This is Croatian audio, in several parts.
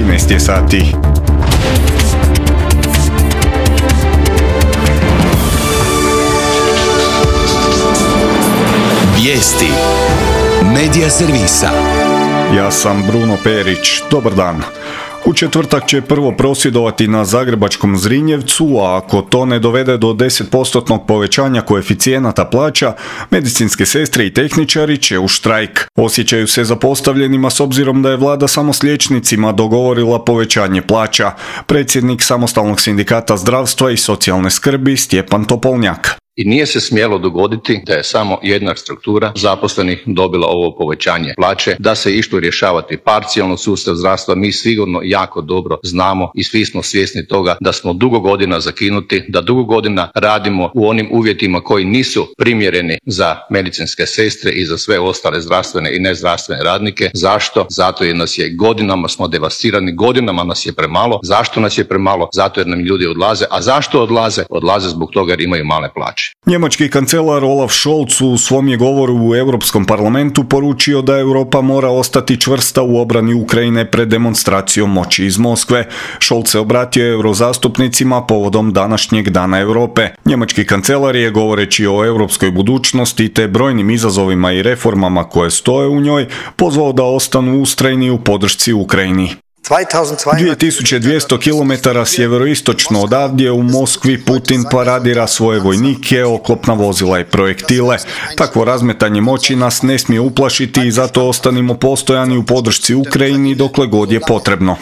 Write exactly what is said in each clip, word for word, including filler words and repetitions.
trinaest je sati. Vijesti Medija servisa. Ja sam Bruno Perić. Dobar dan. U četvrtak će prvo prosvjedovati na zagrebačkom Zrinjevcu, a ako to ne dovede do deset postotnog povećanja koeficijenata plaća, medicinske sestre i tehničari će u štrajk. Osjećaju se zapostavljenima s obzirom da je vlada samo s liječnicima dogovorila povećanje plaća. Predsjednik Samostalnog sindikata zdravstva i socijalne skrbi Stjepan Topolnjak. I nije se smjelo dogoditi da je samo jedna struktura zaposlenih dobila ovo povećanje plaće, da se išlo rješavati parcijalno sustav zdravstva. Mi sigurno jako dobro znamo i svi smo svjesni toga da smo dugo godina zakinuti, da dugo godina radimo u onim uvjetima koji nisu primjereni za medicinske sestre i za sve ostale zdravstvene i nezdravstvene radnike. Zašto? Zato jer nas je godinama smo devastirani, godinama nas je premalo. Zašto nas je premalo? Zato jer nam ljudi odlaze. A zašto odlaze? Odlaze zbog toga jer imaju male plaće. Njemački kancelar Olaf Scholz u svom je govoru u Europskom parlamentu poručio da Europa mora ostati čvrsta u obrani Ukrajine pred demonstracijom moći iz Moskve. Scholz se obratio eurozastupnicima povodom današnjeg Dana Europe. Njemački kancelar je, govoreći o europskoj budućnosti te brojnim izazovima i reformama koje stoje u njoj, pozvao da ostanu ustrajni u podršci Ukrajini. dvije tisuće dvjesto kilometara sjeveroistočno odavdje u Moskvi Putin paradira svoje vojnike, oklopna vozila i projektile. Takvo razmetanje moći nas ne smije uplašiti i zato ostanimo postojani u podršci Ukrajini dokle god je potrebno.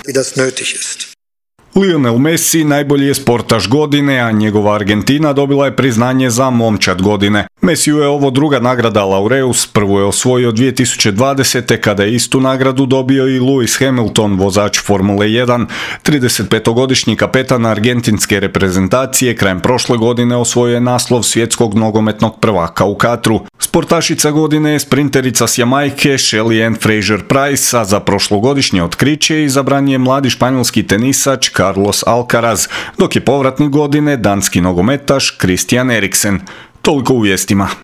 Lionel Messi najbolji je sportaš godine, a njegova Argentina dobila je priznanje za momčad godine. Messiju je ovo druga nagrada Laureus, prvu je osvojio dvije tisuće dvadesete kada je istu nagradu dobio i Lewis Hamilton, vozač Formule jedan. tridesetpetogodišnji kapetan argentinske reprezentacije krajem prošle godine osvojio je naslov svjetskog nogometnog prvaka u Katru. Sportašica godine je sprinterica s Jamajke Shelly Ann Fraser-Price, a za prošlogodišnje otkriće izabran je mladi španjolski tenisač Carlos Alcaraz, dok je povratnik godine danski nogometaš Christian Eriksen. Toliko u vijestima.